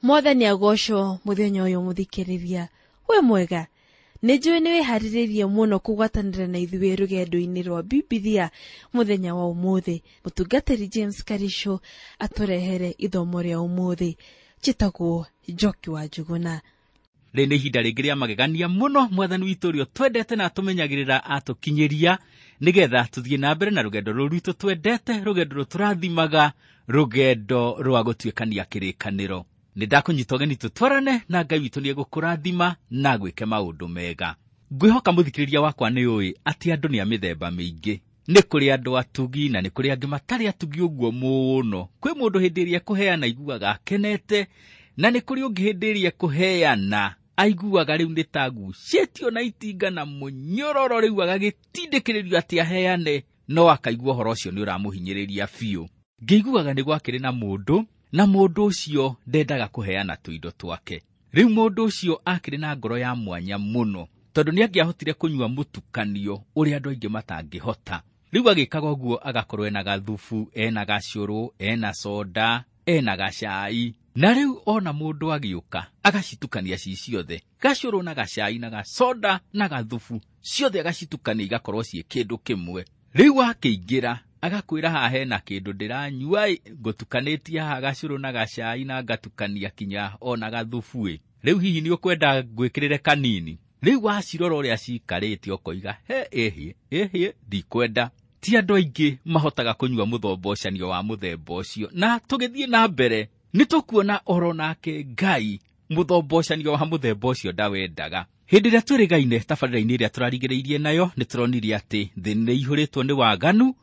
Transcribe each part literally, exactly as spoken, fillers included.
Mwathani agocwo muthenya uyu muthikiriria. We mwega, nĩ njũĩ nĩ wĩharĩrĩirie mũno kũgwatanĩra na ithuĩ rũgendo-inĩ rwa Bibilia mũthenya wa ũmũthĩ. Mũtungatĩri James Karisho atũrehere ithomo rĩa ũmũthĩ. Njĩtagwo Njoki wa Njuguna. Rĩrĩ nĩ ihinda rĩngĩ rĩa magegania mũno mwathani witũ ũrĩa twendete na atũmenyagĩrĩra atũkinyĩria nĩgetha tũthiĩ na mbere na rũgendo rũrũ rwitũ twendete, rũgendo rũrũ tũrathimaga, rũgendo rwa gũtuĩkania kĩrĩkanĩro. Nĩ ndakũnyita ũgeni tũtwarane na Ngai witũ nĩ egũkũrathima na agwĩke maũndũ mega. Ngwĩhoka mũthikĩrĩria wakwa nĩ ũĩ atĩ andũ nĩ a mĩthemba mĩingĩ. Nĩ kũrĩ andũ atugi na nĩ kũrĩ angĩ matarĩ atugi ũguo mũno. Kwĩ mũndũ hĩndĩ ĩrĩa ekũheana aiguaga akenete, na nĩ kũrĩ ũngĩ hĩndĩ ĩrĩa ekũheana aiguaga rĩu nĩ ta agucĩtio na itinga na mũnyororo, rĩu agagĩtindĩkĩrĩrio atĩ aheane, no akaigua ũhoro ũcio nĩ ũramũhinyĩrĩria biũ. Ngĩiguaga nĩ gwakĩrĩ na mũndũ, na mũndũ ũcio ndendaga kũheana tũindo twake. Rĩu mũndũ ũcio akĩrĩ na ngoro ya mwanya mũno, tondũ nĩ angĩahotire kũnyua mũtukanio ũrĩa andũ aingĩ matangĩhota. Rĩu agĩkaga ũguo agakorwo ena gathubu, ena gacũrũ, ena soda, ena gacai. Na rĩu ona mũndũ agĩũka agacitukania ci ciothe, gacũrũ na gacai na gacoda na gathubu, ciothe agacitukania igakorwo ciĩ kĩndũ kĩmwe. Rĩu akĩingĩra agakwĩra haha hena kĩndũ ndĩranyua, ngũtukanĩtie haha gacũrũ na gacai na ngatukania kinya ona gathubu-ĩ. Rĩu hihi nĩ ũkwenda ngwĩkĩrĩre kanini? Rĩu wacirora ũrĩa cikarĩte ũkoiga he ĩhĩ ĩhĩ ndikwenda. Ti andũ aingĩ mahotaga kũnyua mũthombocanio wa mũthemba ũcio. Na tũgĩthiĩ na mbere nĩ tũkuona oro nake Ngai mũthombocanio wa mũthemba ũcio ndawendaga. Hĩndĩ ĩrĩa twĩrĩgaine tabarĩra-inĩ ĩrĩa tũrarigĩrĩirie nayo, nĩ tũronire atĩ thĩ nĩ ĩihũrĩtwo nĩ waganu,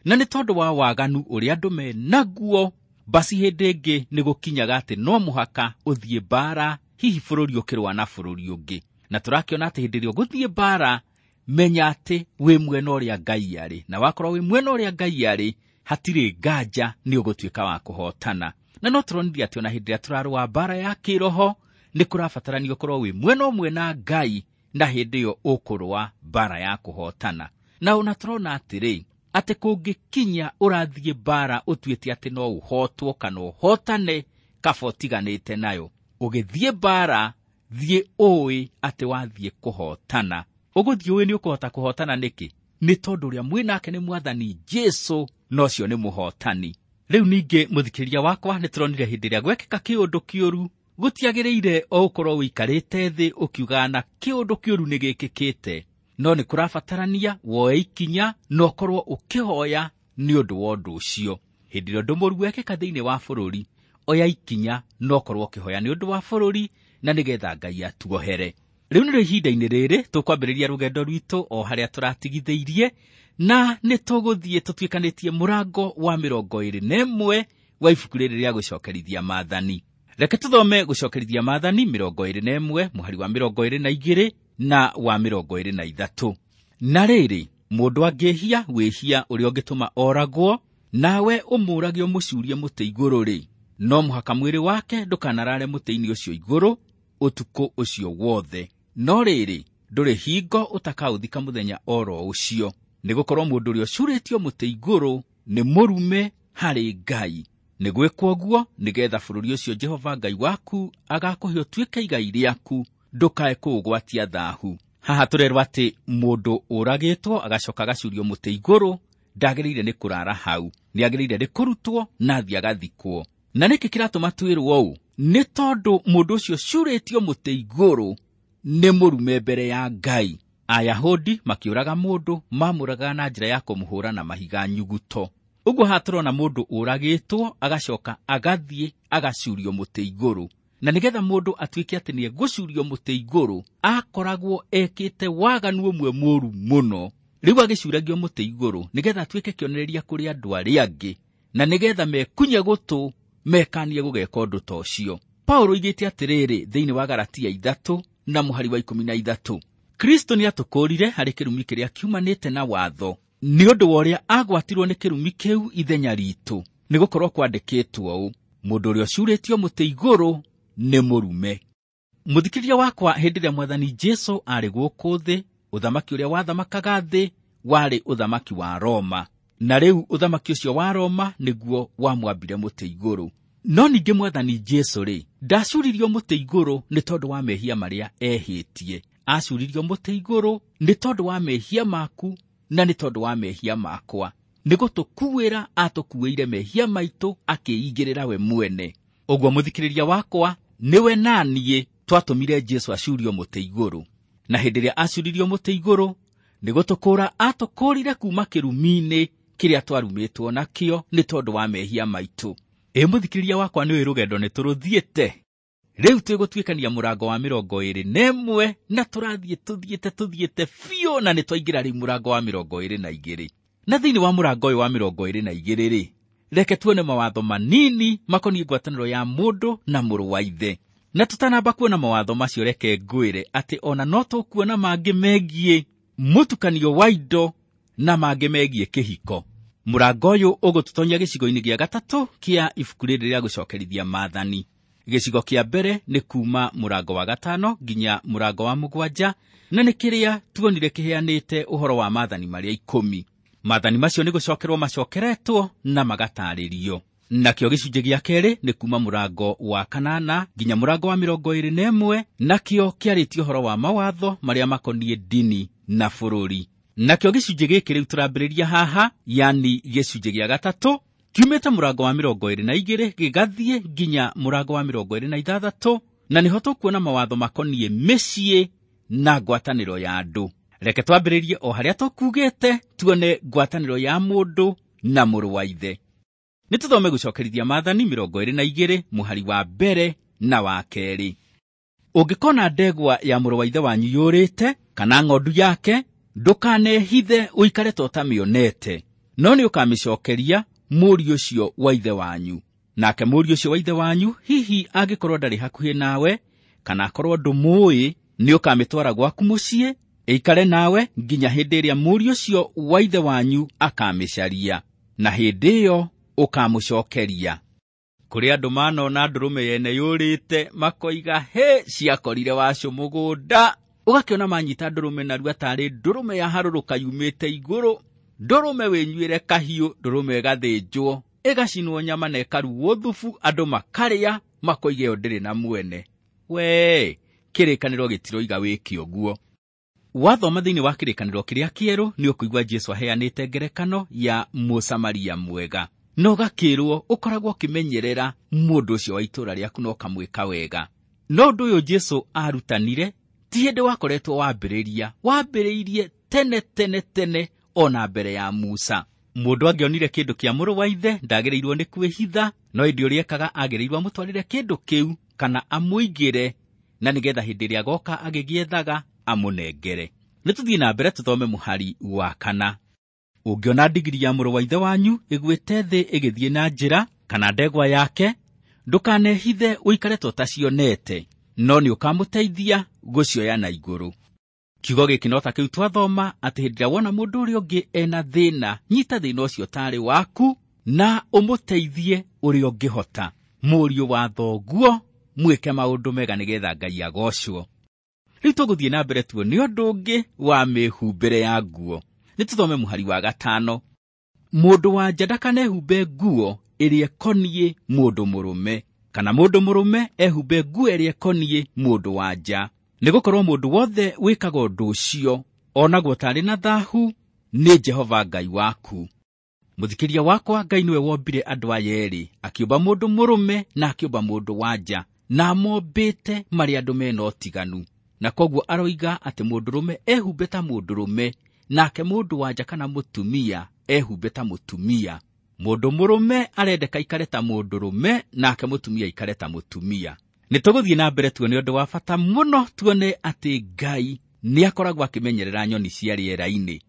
na nĩ tondũ wa waganu ũrĩa andũ menaguo, basi hĩndĩ ĩngĩ nĩ gũkinyaga atĩ no mũhaka ũthiĩ mbara, hihi bũrũri ũkĩrũa na bũrũri ũngĩ. Na tũrakĩona atĩ hĩndĩ ĩrĩa ũgũthiĩ mbara, menya atĩ wĩ mwena ũrĩa Ngai arĩ, na wakorwo wĩ mwena ũrĩa Ngai arĩ, hatirĩ nganja nĩ ũgũtuĩka wa kũhotana. Na no tũronire atĩ ona hĩndĩ ĩrĩa tũrarũa mbara ya kĩroho, nĩ kũrabatarania ũkorwo wĩ mwena ũmwe na Ngai, na hĩndĩ ĩyo ũkũrũa mbara ya kũhotana. Na ona tũrona atĩrĩ, atĩ kũngĩkinya ũrathiĩ mbara ũtuĩte atĩ no ũhotwo kana ũhotane, kaba ũtiganĩte nayo. Ũgĩthiĩ mbara, thiĩ ũĩ atĩ wathiĩ kũhotana. Ũgũthiĩ ũĩ nĩ ũkũhota kũhotana nĩkĩ? Nĩ tondũ ũrĩa mwĩ nake nĩ Mwathani Jesũ, na ũcio nĩ mũhotani. Rĩu ningĩ mũthikĩrĩria wakwa, nĩ tũronire hĩndĩ ĩrĩa gwekĩka kĩũndũ kĩũru, gũtiagĩrĩire o ũkorwo ũikarĩte thĩ ũkiugaga na kĩũndũ kĩũru nĩ gĩkĩkĩte, no nĩ kũrabatarania woe ikinya na ũkorwo ũkĩhoya nĩ ũndũ wa ũndũ ũcio. Hĩndĩ ĩrĩa ũndũ mũũru wekĩka thĩinĩ wa bũrũri, oya ikinya na ũkorwo ũkĩhoya nĩ ũndũ wa bũrũri, na nĩgetha Ngai atuohere. Rĩu nĩrĩo ihinda-inĩ rĩrĩ tũkwambĩrĩria rũgendo rwitũ o harĩa tũratigithĩirie, na nĩ tũgũthiĩ tũtuĩkanĩtie mũrango wa mĩrongo ĩrĩ na ĩmwe wa ibuku rĩrĩ rĩa gũcokerithia maathani. Reke tũthome gũcokerithia maathani mĩrongo ĩrĩ na ĩmwe mũhari wa mĩrongo ĩrĩ na igĩrĩ na wa mĩrongo ĩrĩ na ithatũ. Na rĩrĩ, mũndũ angĩhia wĩhia ũrĩa ũngĩtũma oragwo, nawe ũmũũrage ũmũcurie mũtĩ igũrũ-rĩ, no mũhaka mwĩrĩ wake ndũkanarare mũtĩ-inĩ ũcio igũrũ ũtukũ ũcio wothe. No rĩrĩ, ndũrĩ hingo ũtakaũthika mũthenya oro ũcio, nĩgũkorwo mũndũ ũrĩa ũcurĩtio mũtĩ igũrũ nĩ mũrume harĩ Ngai. Nĩ gwĩkwo ũguo nĩgetha bũrũri ũcio Jehova Ngai waku agakũhe ũtuĩke igai rĩaku, ndũkae kũũgwatia thaahu. Haha tũrerwo atĩ mũndũ ũragĩtwo agacoka agacurio mũtĩ igũrũ ndagĩrĩire nĩ kũrara hau, nĩ agĩrĩire nĩ kũrutwo na athiĩ agathikwo. Na nĩkĩ kĩratũma twĩrwo ũũ? Nĩ tondũ mũndũ ũcio ũcurĩtio mũtĩ igũrũ nĩ mũrume mbere ya Ngai. Ayahudi makĩũraga mũndũ, mamũragaga na njĩra ya kũmũhũra na mahiga nyuguto. Ũguo haha tũrona mũndũ ũragĩtwo agacoka agathiĩ agacurio mũtĩ igũrũ. Na nĩgetha mũndũ atuĩke atĩ nĩ egũcurio mũtĩ igũrũ, akoragwo ekĩte waganu ũmwe mũũru mũno. Rĩu agĩcuragio mũtĩ igũrũ nĩgetha atuĩke kĩonereria kũrĩ andũ arĩa angĩ, na nĩgetha mekunye gũtũ mekanie gũgeka ũndũ ta ũcio. Paulo oigĩte atĩrĩrĩ thĩinĩ wa Galatia ithatũ na mũhari wa ikũmi na ithatũ, Kristo nĩatũkũũrire harĩ kĩrumi kĩrĩa kiumanĩte na watho, nĩ ũndũ wa ũrĩa agwatirwo nĩ kĩrumi kĩu ithenya ritũ, nĩgũkorwo kwandĩkĩtwo ũũ, mũndũ ũrĩa ũcurĩtio mũtĩ igũrũ nĩ mũrume. Mũthikĩrĩria wakwa, hĩndĩ ĩrĩa Mwathani Jesũ arĩ gũkũ thĩ, ũthamaki ũrĩa wathamakaga thĩ warĩ ũthamaki wa Roma, na rĩu ũthamaki ũcio wa Roma nĩguo wamwambire mũtĩ igũrũ. No ningĩ Mwathani Jesũ rĩ, ndacuririo mũtĩ igũrũ nĩ tondũ wa mehia marĩa ehĩtie. Acuririo mũtĩ igũrũ nĩ tondũ wa mehia maku na nĩ tondũ wa mehia makwa. Nĩ gũtũkuĩra atũkuĩire mehia maitũ akĩigĩrĩra we mwene. Ũguo mũthikĩrĩria wakwa, nĩwe na niĩ twatũmire Jesũ acurio mũtĩ igũrũ. Na hĩndĩ ĩrĩa acuririo mũtĩ igũrũ, nĩ gũtũkũũra atũkũũrire kuuma kĩrumi-inĩ kĩrĩa twarumĩtwo nakĩo nĩ tondũ wa mehia maitũ. Ĩ mũthikĩrĩria wakwa, nĩũĩ rũgendo nĩ tũrũthiĩte. Rĩu twĩgũtuĩkania mũrango wa mĩrongo ĩrĩ na ĩmwe na tũrathiĩ tũthiĩte tũthiĩte biũ na nĩ twaingĩra rĩu mũrango wa mĩrongo ĩrĩ na igĩrĩ. Na thĩinĩ wa mũrango ũyũ wa mĩrongo ĩrĩ na igĩrĩ rĩ, reke tuone mawatho manini makoniĩ ngwatanĩro ya mũndũ na mũrũ wa ithe. Na tũtanamba kuona mawatho macio, reke ngwĩre atĩ ona no tũkuona mangĩ megiĩ mũtukanio wa indo na mangĩ megiĩ kĩhiko. Mũrango ũyũ ũgũtũtonya gĩcigo-inĩ gĩa gatatũ kĩa ibuku rĩrĩ rĩa gũcokerithia maathani. Gĩcigo kĩa mbere nĩ kuma mũrango wa gatano nginya mũrango wa mũgwanja, na nĩ kĩrĩa tuonire kĩheanĩte ũhoro wa maathani marĩa ikũmi. Maathani macio nĩ gũcokerwo macokeretwo na magatarĩrio. Nakĩo gĩcunjĩ gĩa kerĩ nĩ kuma mũrango wa kanana nginya mũrango wa mĩrongo ĩrĩ na ĩmwe, nakĩo kĩarĩtie ũhoro wa mawatho marĩa makoniĩ ndini na bũrũri. Nakĩo gĩcunjĩ gĩkĩ rĩu tũrambĩrĩria haha, yani gĩcunjĩ gĩa gatatũ, kiumĩte mũrango wa mĩrongo ĩrĩ na igĩrĩ gĩgathiĩ nginya mũrango wa mĩrongo ĩrĩ na ithathatũ, na nĩho tũkuona mawatho makoniĩ mĩciĩ na ngwatanĩro ya andũ. Reke twambĩrĩrie o harĩa tũkugĩte, tuone ngwatanĩro ya mũndũ na mũrũ wa ithe. Nĩ tũthome gũcokerithia maathani mĩrongo ĩrĩ na igĩrĩ mũhari wa mbere na wa kerĩ. Ũngĩkona ndegwa ya mũrũ wa ithe wanyu yũrĩte kana ng'ondu yake, ndũkanehithe ũikare ta ũtamĩonete, no nĩ ũkamĩcokeria mũriũ ũcio wa ithe wanyu. Nake mũriũ ũcio wa ithe wanyu hihi angĩkorwo ndarĩ hakuhĩ nawe kana akorwo ndũmũĩ, nĩ ũkamĩtwara gwaku mũciĩ ĩikare nawe nginya hĩndĩ ĩrĩa mũriũ ũcio wa ithe wanyu akamĩcaria, na hĩndĩ ĩyo ũkamũcokeria. Kũrĩ andũ manona ndũrũme yene yũrĩte makoiga, he, ciakorire wacũ mũgũnda. Ũgakĩona manyita ndũrũme narua tarĩ ndũrũme ya harũrũka yumĩte igũrũ, ndũrũme wĩnyuĩre kahiũ, ndũrũme ĩgathĩnjwo, ĩgacinwo nyama na ĩkarugwo thubu, andũ makarĩa makoiga ĩyo ndĩrĩ na mwene. We, kĩrĩkanĩro gĩtiroiga wĩke ũguo. Wathoma thĩinĩ wa kĩrĩkanĩro kĩrĩa kĩerũ nĩ ũkũigua Jesũ aheanĩte ngerekano ya Mũsamaria mwega. Na ũgakĩrwo ũkoragwo ũkĩmenyerera mũndũ ũcio wa itũũra rĩaku na ũkamwĩka wega. No ũndũ ũyũ Jesũ arutanire ti hĩndĩ wakoretwo wambĩrĩria, wambĩrĩirie tene tene tene ona mbere ya Musa. Mũndũ angĩonire kĩndũ kĩa mũrũ wa ithe ndagĩrĩirwo nĩ kwĩhitha, no ĩndĩ ũrĩa ekaga agĩrĩirwo amũtwarĩre kĩndũ kĩu kana amũigĩre, na nĩgetha hĩndĩ ĩrĩa agoka agĩgĩethaga amũnengere. Nĩ tũthiĩ na mbere tũthome mũhari wa kana. Ũngĩona ndigiri ya mũrũ wa ithe wanyu ĩgwĩte thĩ ĩgĩthiĩ na njĩra kana ndegwa yake, ndũkanehithe ũikare ta ũtacionete, no nĩ ũkamũteithia gũcioya na igũrũ. Kiugo gĩkĩ no ta kĩu twathoma atĩ hĩndĩ ĩrĩa wona mũndũ ũrĩa ũngĩ ena thĩna, nyita thĩna ũcio tarĩ waku na ũmũteithie ũrĩa ũngĩhota. Mũriũ wa thoguo, mwĩke maũndũ mega nĩgetha Ngai agocwo. Rĩu tũgũthiĩ na mbere tuone ũndũ ũngĩ wa mĩhumbĩre ya nguo. Nĩ tũthome mũhari wa gatano. Mũndũ wa nja ndakanehumbe nguo ĩrĩa ĩkoniĩ mũndũ mũrũme, kana mũndũ mũrũme ehumbe nguo ĩrĩa ĩkoniĩ mũndũ wa nja. Nĩgũkorwo mũndũ wothe wĩkaga ũndũ ũcio onagwo tarĩ na thahu nĩ Jehova Ngai waku. Mũthikĩria wakwa, Ngai nĩwe wombire andũ aya erĩ, akĩũmba mũndũ mũrũme na akĩũmba mũndũ wa nja, na amombĩte marĩ andũ mena ũtiganu. Na koguo aroiga atĩ mũndũrũme ehumbe ta mũndũrũme, nake mũndũ wa nja kana mũtumia ehumbe ta mũtumia. Mũndũ mũrũme arendeka aikare ta mũndũrũme, nake mũtumia aikare ta mũtumia. Nĩ tũgũthiĩ na mbere tuone ũndũ wa bata mũno, tuone atĩ Ngai nĩ akoragwo akĩmenyerera nyoni cia rĩera-inĩ.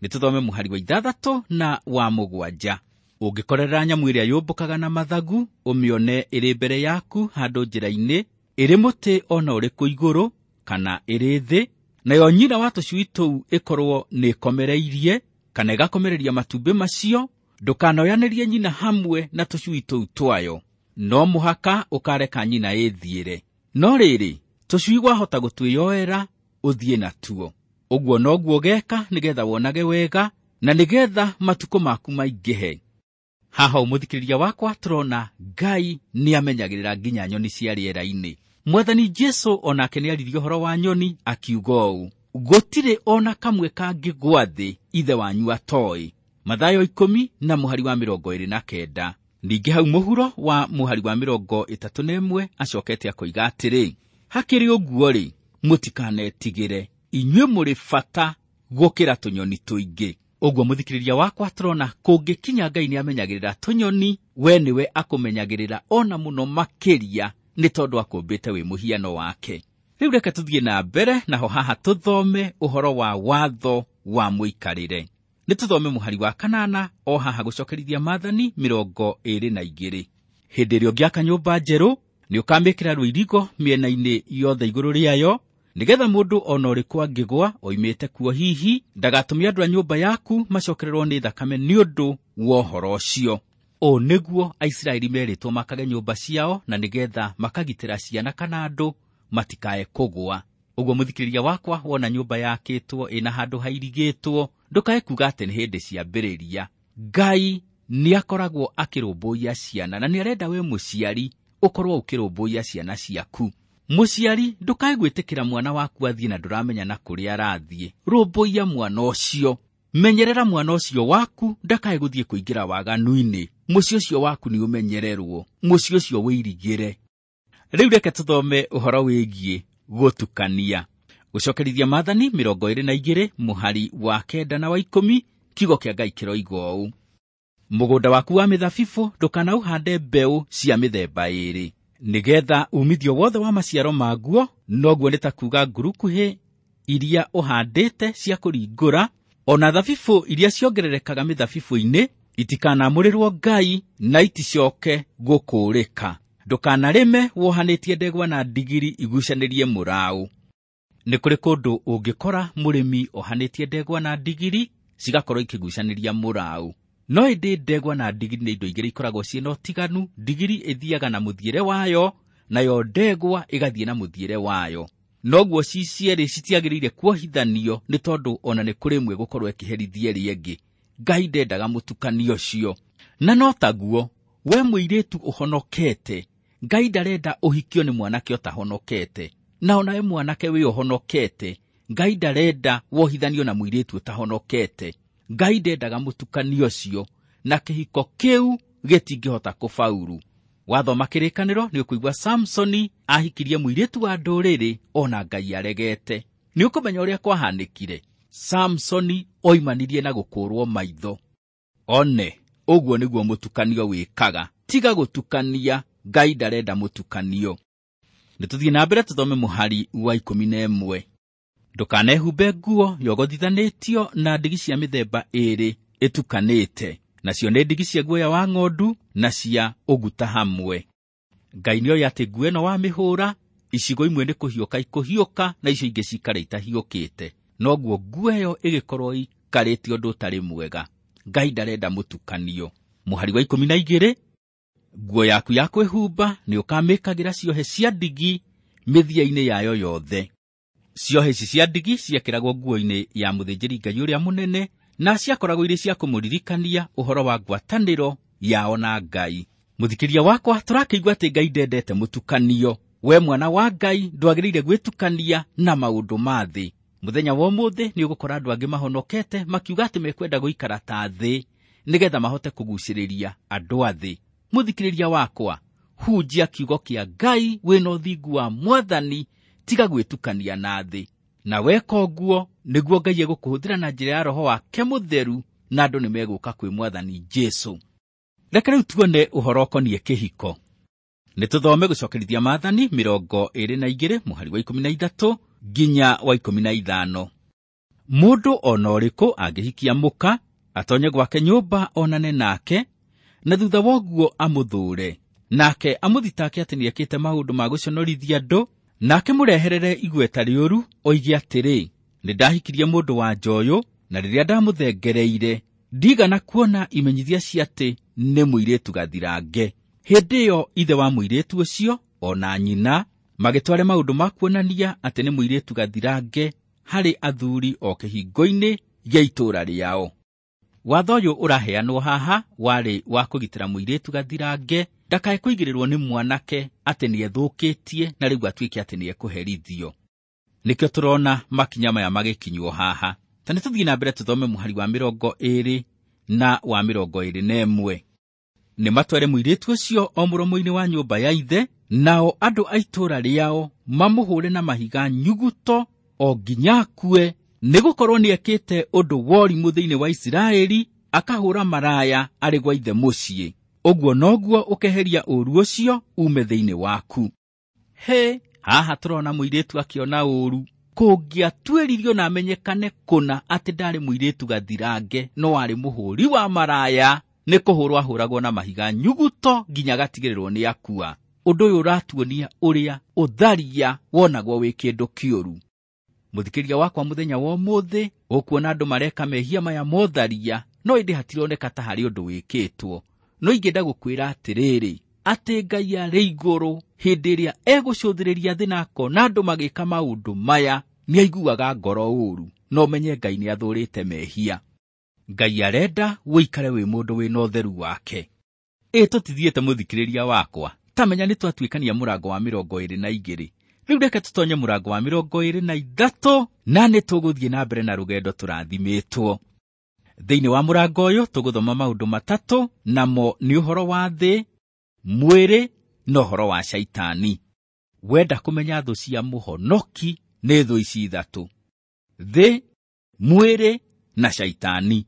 Nĩ tũthome mũhari wa ithathatũ na wa mũgwanja. Ũngĩkorerera nyamũ ĩrĩa yũmbũkaga na mathagu, ũmĩone ĩrĩ mbere yaku handũ njĩra-inĩ, ĩrĩ mũtĩ ona ũrĩkũ igũrũ kana ĩrĩ thĩ, nayo nyina wa tũcui tũu ĩkorwo nĩ ĩkomereirie kana ĩgakomereria matumbĩ macio, ndũkanoyanĩrie nyina hamwe na tũcui tũu twayo. No mũhaka ũkareka nyina ĩthiĩre. No rĩrĩ, tũcui wahota gũtwĩyoera ũthiĩ natuo. Ũguo noguo ũgeka nĩgetha wonage wega na nĩgetha matukũ maku maingĩhe. Haha mũthikĩrĩria wakwa tũrona Ngai nĩamenyagĩrĩra nginya nyoni cia rĩera-inĩ. Mwathani Jesu onake nĩaririe ũhoro wa nyoni akiuga ũũ, gũtirĩ ona kamwe kangĩgwa thĩ ithe wanyu atoĩ. Mathayo ikũmi na mũhari wa mĩrongo ĩrĩ na kenda. Ningĩ hau mũhuro wa mũhari wa mĩrongo ĩtatũ na ĩmwe acokete akoiga atĩrĩ, hakĩrĩ ũguo-rĩ, mũtikanetigĩre, inyuĩ mũrĩ bata gũkĩra tũnyoni tũingĩ. Ũguo mũthikĩrĩria wakwa tũrona kũngĩkinya Ngai nĩamenyagĩrĩra tũnyoni, we nĩwe akũmenyagĩrĩra ona mũno makĩria nĩ tondũ akũmbĩte wĩ mũhiano wake. Rĩu reke tũthiĩ na mbere naho haha tũthome ũhoro wa watho wa mũikarĩre. Nĩ tũthome mũhari wa kanana o haha gũcokerithia maathani mĩrongo ĩrĩ na igĩrĩ. Hĩndĩ ĩrĩa ũngĩaka nyũmba njerũ, nĩ ũkamĩkĩra rũirigo mĩena-inĩ yothe igũrũ rĩayo, nĩgetha mũndũ ona ũrĩkũ angĩgwa oimĩte kuo hihi ndagatũme andũ a nyũmba yaku macokererwo nĩ thakame nĩ ũndũ wa ũhoro ũcio. Ũũ nĩguo Aisiraeli merĩtwo makage nyũmba ciao na nĩgetha makagitĩra ciana kana andũ matikae kũgwa. Ũguo mũthikĩrĩria wakwa wona nyũmba yakĩtwo ĩna handũ hairigĩtwo, ndũkae kuga atĩ nĩ hĩndĩ ciambĩrĩria. Ngai nĩakoragwo akĩrũmbũiya ciana na nĩarenda we mũciari ũkorwo ũkĩrũmbũiya ciana ciaku. Mũciari ndũkae gwĩtĩkĩra mwana waku athiĩ na ndũramenya na kũrĩa arathiĩ. Rũmbũiya mwana ũcio, menyerera mwana ũcio waku ndakae gũthiĩ kũingĩra waganu-inĩ. Mũciĩ ũcio waku nĩ ũmenyererwo, mũciĩ ũcio wĩirigĩre. Rĩu reke tũthome ũhoro wĩgiĩ gũtukania. Gũcokerithia maathani mĩrongo ĩrĩ na igĩrĩ mũhari wa kenda na wa ikũmi, kiugo kĩa Ngai kĩroiga ũũ, mũgũnda waku wa mĩthabibũ ndũkanaũhande mbeũ cia mĩthemba ĩrĩ, nĩgetha umithio wothe wa maciaro maguo, noguo nĩ ta kuga ngurukuhĩ iria ũhandĩte cia kũringũra, ona thabibũ iria ciongererekaga mĩthabibũ-inĩ itikanamũrĩrwo Ngai na iticoke gũkũũrĩka. Ndũkanarĩme wohanĩtie ndegwa na ndigiri igucanĩrie mũraũ. Nĩ kũrĩ kũndũ ũngĩkora mũrĩmi ohanĩtie ndegwa na ndigiri cigakorwo ikĩgucanĩria mũraũ. No ĩndĩ ndegwa na ndigiri nĩ indo igĩrĩ ikoragwo ciĩna ũtiganu. Ndigiri ĩthiaga na mũthiĩre wayo, nayo ndegwa ĩgathiĩ na mũthiĩre wayo. Noguo ci cierĩ citiagĩrĩire kuohithanio nĩ tondũ ona nĩ kũrĩ ĩmwe gũkorwo ĩkĩherithia ĩrĩa ĩngĩ. Ngai ndendaga mũtukanio ũcio. Na no taguo we mũirĩtu ũhonokete, Ngai ndarenda ũhikio nĩ mwanake ũtahonokete. Na ona we mwanake wĩ ũhonokete, Ngai ndarenda wohithanio na mũirĩtu ũtahonokete. Ngai ndendaga mũtukanio ũcio, na kĩhiko kĩu gĩtingĩhota kũbauru. Wathoma kĩrĩkanĩro nĩ ũkũigua Samsoni ahikirie mũirĩtu wa ndũrĩrĩ ona Ngai aregete. Nĩ ũkũmenya ũrĩa kwahanĩkire. Samsoni oimanirie na gũkũrwo maitho. One, ũguo nĩguo mũtukanio wĩkaga. Tiga gũtukania, Ngai ndarenda mũtukanio. Nĩ tũthiĩ na mbere tũthome mũhari wa ikũmi na ĩmwe. Ndũkanehumbe nguo yogothithanĩtio na ndigi cia mĩthemba ĩrĩ ĩtukanĩte, nacio nĩ ndigi cia guoya wa ng'ondu na cia ũguta hamwe. Ngai nĩoĩ atĩ nguo ĩno wamĩhũra, icigo imwe nĩ kũhiũka ikũhiũka na icio ingĩ cikare itahiũkĩte. Noguo nguo ĩyo ĩgĩkorwo ĩikarĩte ũndũ ũtarĩ mwega. Ngai ndarenda mũtukanio. Mũhari wa ikũmi na igĩrĩ, nguo yaku ya kwĩhumba nĩ ũkamĩkagĩra ciohe cia ndigi mĩthia-inĩ yayo yothe. Ciohe ici cia ndigi ciekĩragwo nguo-inĩ ya mũthĩnjĩri Ngai ũrĩa mũnene na ciakoragwo irĩ cia kũmũririkania ũhoro wa ngwatanĩro yao na Ngai. Mũthikĩria wakwa, tũrakĩigua atĩ Ngai ndendete mũtukanio. We mwana wa Ngai ndwagĩrĩire gwĩtukania na maũndũ ma thĩ. Mũthenya wa ũmũthĩ nĩ ũgũkora andũ angĩ mahonokete makiuga atĩ mekwenda gũikara ta thĩ nĩgetha mahote kũgucĩrĩria andũ a thĩ. Mũthikĩrĩria wakwa, hunjia kiugo kĩa Ngai wĩna ũthingu wa Mwathani, tiga gwĩtukania na thĩ. Na weka ũguo nĩguo Ngai egũkũhũthĩra na njĩra ya Roho wake Mũtheru, na andũ nĩmegũka kwĩ Mwathani Jesũ. Reke rĩu tuone ũhoro ũkoniĩ kĩhiko. Nĩ tũthome gũcokerithia maathani mĩrongo ĩrĩ na igĩrĩ mũhari wa ikũmi na ithatũ nginya wa ikũmi na ithano. Mũndũ ona ũrĩkũ angĩhikia mũka, atonye gwake nyũmba onane nake, na thutha wa ũguo amũthũre, nake amũthitake atĩ nĩekĩte maũndũ ma gũconorithia andũ, nake mũreherere igweta rĩũru, oige atĩrĩ, nĩ ndahikirie mũndũ wa nja ũyũ, na rĩrĩa ndamũthengereire ndigana kuona imenyithia cia atĩ nĩ mũirĩtu gathirange. Hĩndĩ ĩyo ithe wa mũirĩtu ũcio ona nyina magĩtware maũndũ ma kuonania atĩ nĩ mũirĩtu gathirange harĩ athuri o kĩhingo-inĩ gĩa itũũra rĩao. Watho ũyũ ũraheanwo haha warĩ wa kũgitĩra mũirĩtu gathirange ndakae kũigĩrĩrwo nĩ mwanake atĩ nĩethũkĩtie na rĩu atuĩke atĩ nĩekũherithio. Nĩkĩo tũrona makinya maya magĩkinywo haha. Ta nĩtũthiĩ na mbere tũthome mũhari wa mĩrongo ĩĩrĩ na wa mĩrongo ĩĩrĩ na ĩmwe. Nĩmatware mũirĩtu ũcio o mũromo-inĩ wa nyũmba ya ithe, nao andũ a itũũra rĩao mamũhũre na mahiga nyuguto o nginya akue, nĩgũkorwo nĩekĩte ũndũ wa ũrimũ thĩinĩ wa Isiraeli, akahũra maraya arĩ gwa ithe mũciĩ. Ũguo noguo ũkeheria ũũru ũcio ume thĩinĩ waku. He, haha tũrona mũirĩtu akĩona ũũru. Kũngĩatuĩririo na amenyekane kũna atĩ ndarĩ mũirĩtu gathirange no arĩ mũhũri wa maraya, nĩ kũhũrwo ahũragwo na mahiga nyuguto nginya agatigĩrĩrwo nĩ akua. Ũndũ ũyũ ũratuonia ũrĩa ũtharia wonagwo wĩ kĩndũ kĩũru. Mũthikĩria wakwa mũthenya wa ũmũthĩ, ũkuona andũ mareka mehia maya motharia, no ĩndĩ hatironeka ta harĩ ũndũ wĩkĩtwo. No ingĩenda gũkwĩra atĩrĩrĩ, atĩ Ngai arĩ igũrũ hĩndĩ ĩrĩa egũcũthĩrĩria thĩ na akona andũ magĩka maũndũ maya, nĩaiguaga ngoro ũũru, no menye Ngai nĩathũrĩte mehia. Ngai arenda ũikare wĩ mũndũ wĩna ũtheru wake. Ĩ tũtithiĩte mũthikĩrĩria wakwa, ta menya nĩtwatuĩkania mũrango wa mĩrongo ĩĩrĩ na igĩrĩ. Rĩu reke tũtonye mũrango wa mĩrongo ĩĩrĩ na ithatũ, na nĩtũgũthiĩ na mbere na rũgendo tũrathimĩtwo. Thĩinĩ wa mũrango ũyũ tũgũthoma maũndũ matatũ, namo nĩ ũhoro wa thĩ, mwĩrĩ na ũhoro wa Shaitani. Wenda kũmenya thũ cia mũhonoki nĩ thũ ici ithatũ: thĩ, mwĩrĩ na Shaitani.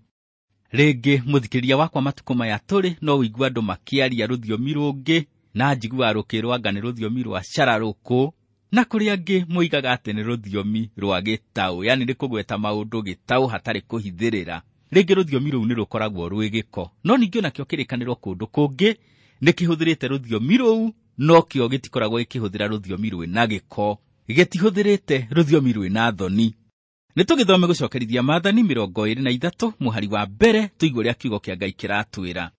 Rĩngĩ mũthikĩrĩria wakwa, matukũ maya tũrĩ no ũigue andũ makĩaria rũthiomi rũngĩ, na njiguaga rũkĩrwo anga nĩ rũthiomi rwa cararũkũ, na kũrĩ angĩ moigaga atĩ nĩ rũthiomi rwa gĩtaũ, yani nĩ kũgweta maũndũ gĩtaũ hatarĩ kũhithĩrĩra. Rĩngĩ rũthiomi rũu nĩ rũkoragwo rwĩ gĩko, no ningĩ onakĩo kĩrĩkanĩro kũndũ kũngĩ nĩkĩhũthĩrĩte rũthiomi rũu, no kĩo gĩtikoragwo gĩkĩhũthĩra rũthiomi rwĩna gĩko, gĩtihũthĩrĩte rũthiomi rwĩna thoni. Nĩtũgĩthome gũcokerithia Maathani mĩrongo ĩĩrĩ na ithatũ mũhari wa mbere, tũigue ũrĩa kiugo kĩa Ngai kĩratwĩra.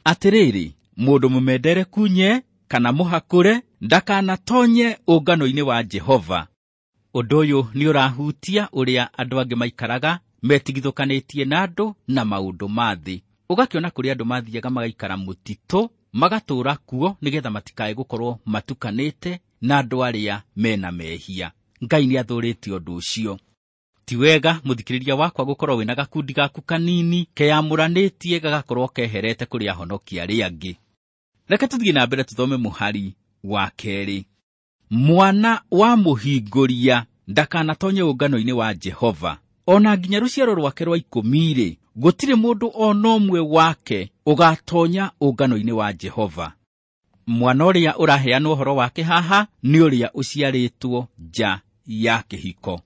Atĩrĩrĩ, mũndũ mũmendere kunye kana mũhakũre ndakanatonye ũngano-inĩ wa Jehova. Ũndũ ũyũ nĩ ũrahutia ũrĩa andũ angĩ maikaraga metigithũkanĩtie na andũ na maũndũ ma thĩ. Ũgakĩona kũrĩ andũ mathiaga magaikara mũtitũ, magatũũra kuo nĩgetha matikae gũkorwo matukanĩte na andũ arĩa mena mehia. Ngai nĩathũrĩte ũndũ ũcio. Ti wega mũthikĩrĩria wakwa gũkorwo wĩna gakundi gaku kanini keyamũranĩtie gagakorwo keherete kũrĩ ahonoki arĩa angĩ. Reke tũthiĩ na mbere tũthome mũhari wa kerĩ. Mwana wa mũhingũria ndakanatonye ũngano-inĩ wa Jehova, ona nginya rũciaro rwake rwa ikũmi-rĩ, gũtirĩ mũndũ ona ũmwe wake ũgatonya ũngano-inĩ wa Jehova. Mwana ũrĩa ũraheanwo ũhoro wake haha nĩ ũrĩa ũciarĩtwo nja ya kĩhiko.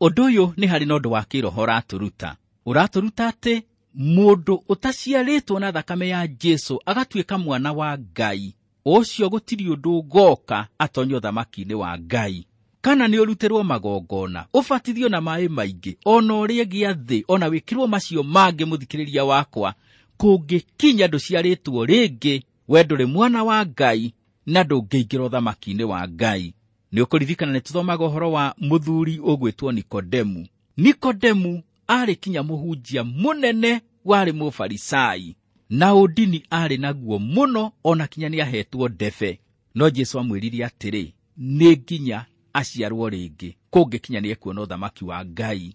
Ũndũ ũyũ nĩ harĩ na ũndũ wa kĩroho ũratũruta. Ũratũruta atĩ mũndũ ũtaciarĩtwo na thakame ya Jesũ agatuĩka mwana wa Ngai, ũcio gũtirĩ ũndũ ũgoka atonye ũthamaki-inĩ wa Ngai. Kana nĩ ũrutĩrwo magongona, ũbatithio na maaĩ maingĩ, ona ũrĩe gĩathĩ, ona wĩkĩrwo macio mangĩ, mũthikĩrĩria wakwa, kũngĩkinya ndũciarĩtwo rĩngĩ, we ndũrĩ mwana wa Ngai na ndũngĩingĩra ũthamaki-inĩ wa Ngai. Nĩ ũkũririkana nĩ tũthomaga ũhoro wa mũthuri ũgwĩtwo Nikodemu. Nikodemu aarĩ kinya mũhunjia mũnene warĩ mũfarisai, na ũndini aarĩ naguo mũno, ona kinya nĩahetwo ndebe. No Jesũ amwĩrire atĩrĩ, nĩ nginya aciarwo rĩngĩ, kũngĩkinya nĩekuona ũthamaki wa Ngai.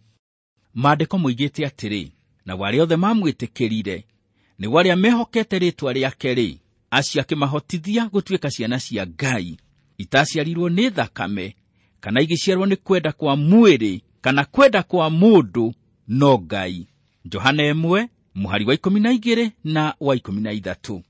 Maandĩko moigĩte atĩrĩ, na arĩa othe mamwĩtĩkĩrire, nĩ arĩa mehokete rĩĩtwa rĩake-rĩ, acio akĩmahotithia gũtuĩka ciana cia Ngai, itaciarirwo nĩ thakame, kana igĩciarwo nĩ kwenda kwa mwĩrĩ, kana kwenda kwa mũndũ, no Ngai. Johana ĩmwe mũhari wa ikũmi na igĩrĩ na wa ikũmi na ithatũ.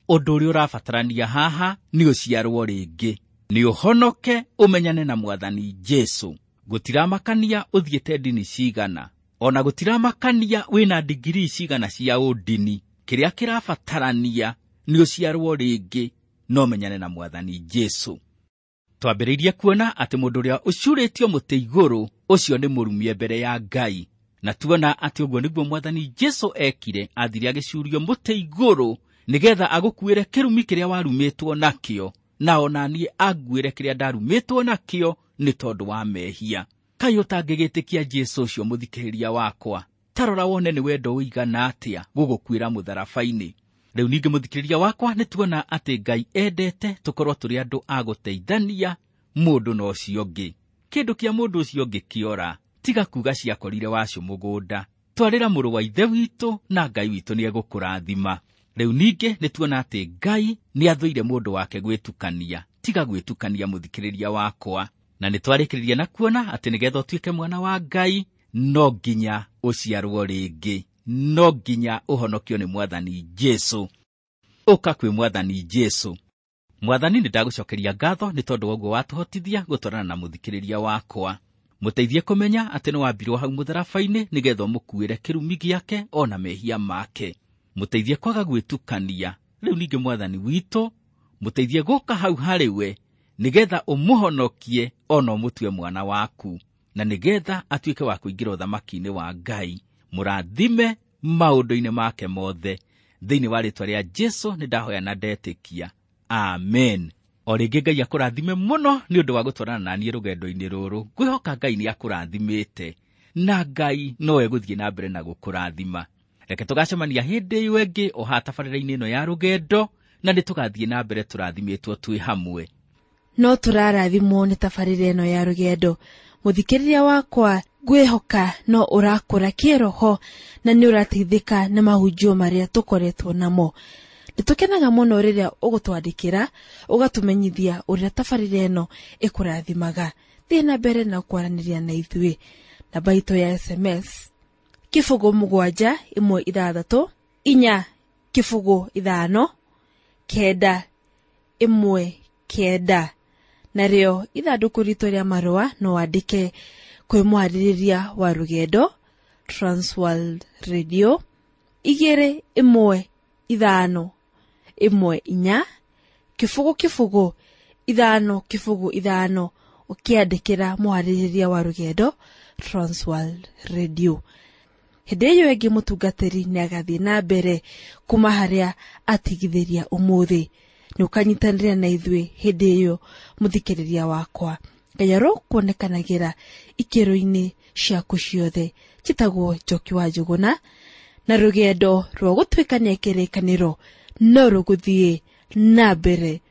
Ũndũ ũrĩa ũrabatarania haha nĩ ũciarwo rĩngĩ, nĩ ũhonoke ũmenyane na Mwathani Jesũ. Gũtiramakania ũthiĩte ndini cigana, ona gũtiramakania wĩna ndigirii cigana cia ũndini. Kĩrĩa kĩrabatarania nĩ ũciarwo rĩngĩ, no menyane na Mwathani Jesũ. Twambĩrĩirie kuona atĩ mũndũ ũrĩa ũcurĩtio mũtĩ igũrũ, ũcio nĩ mũrumie mbere ya Ngai. Na tuona atĩ ũguo nĩguo Mwathani Jesũ ekire, athire agĩcurio mũtĩ igũrũ nĩgetha agũkuĩre kĩrumi kĩrĩa warumĩtwo nakĩo, na ona niĩ anguĩre kĩrĩa ndarumĩtwo nakĩo nĩ tondũ wa mehia. Kaĩ ũtangĩgĩtĩkia Jesũ ũcio mũthikĩrĩria wakwa? Tarora wone nĩ wendo ũigana atĩa gũgũkuĩra mũtharaba-inĩ. Rĩu ningĩ mũthikĩrĩria wakwa, nĩ tuona atĩ Ngai endete tũkorwo tũrĩ andũ a gũteithania mũndũ na ũcio ũngĩ. Kĩndũ kĩa mũndũ ũcio ũngĩ kĩora, tiga kuga ciakorire wacu mũgũnda. Twarĩra mũrũ wa ithe witũ na Ngai witũ nĩegũkũrathima. Rĩu ningĩ nĩ tuona atĩ Ngai nĩathũire mũndũ wake gwĩtukania. Tiga gwĩtukania mũthikĩrĩria wakwa. Na nĩ twarĩkĩrĩria na kuona atĩ nĩgetha ũtuĩke mwana wa Ngai, no nginya ũciarwo rĩngĩ, no nginya ũhonokio nĩ Mwathani Jesũ. Ũka kwĩ Mwathani Jesũ. Mwathani, nĩ ndagũcokeria ngatho nĩ tondũ wa ũguo watũhotithia gũtwarana na mũthikĩrĩria wakwa. Mũteithie kũmenya atĩ nĩ wambirwo hau mũtharaba-inĩ nĩgetha ũmũkuĩre kĩrumi gĩake ona mehia make. Mũteithie kwaga gwĩtukania. Rĩu ningĩ Mwathani witũ, mũteithie gũka hau harĩ we nĩgetha ũmũhonokie ona ũmũtue mwana waku, na nĩgetha atuĩke wa kũingĩra ũthamaki-inĩ wa Ngai. Mũrathime maũndũ-inĩ make mothe. Thĩinĩ wa rĩĩtwa rĩa Jesũ nĩ ndahoya na ndetĩkia. Amen. O rĩngĩ Ngai akũrathime mũno nĩ ũndũ wa gũtwarana na niĩ rũgendo-inĩ rũrũ. Ngwĩhoka Ngai nĩ akũrathimĩte, na Ngai no egũthiĩ na mbere na gũkũrathima. Reke tũgacemania hĩndĩ ĩyo ĩngĩ o haha tabarĩra-inĩ ĩno ya rũgendo, na nĩ tũgathiĩ na mbere tũrathimĩtwo twĩ hamwe. No tũrarathimwo nĩ tabarĩra ĩno ya rũgendo. Mũthikĩrĩria wakwa, ngwĩhoka no ũrakũra kĩroho na nĩ ũrateithĩka nĩ mahunjio marĩa tũkoretwo namo. Nĩ tũkenaga mũno rĩrĩa ũgũtwandĩkĩra, ũgatũmenyithia ũrĩa tabarĩra ĩno ĩkũrathimaga. Thiĩ na mbere na kwaranĩria na ithuĩ. Namba itũ ya S M S kĩbũgũ mũgwanja ĩmwe ithathatũ inya kĩbũgũ ithano kenda ĩmwe kenda. Narĩo ithandũkũ ritũ rĩa marũa no wandĩke kwĩ mwarĩrĩria wa rũgendo Transworld Radio igĩrĩ ĩmwe ithano ĩmwe inya kĩbũgũ kĩbũgũ ithano kĩbũgũ ithano, ũkĩandĩkĩra mwarĩrĩria wa rũgendo Transworld Radio. Hĩndĩ ĩyo ĩngĩ mũtungatĩri nĩagathiĩ na mbere kuma harĩa atigithĩria ũmũthĩ. Nĩ ũkanyitanĩra na ithuĩ hĩndĩ ĩyo mũthikĩrĩria wakwa. Ngai arokuonekanagĩra ikĩro-inĩ ciaku ciothe. Njĩtagwo Njoki wa Njũgũna, na rũgendo rwa gũtuĩkania kĩrĩkanĩro no rũgũthiĩ na mbere.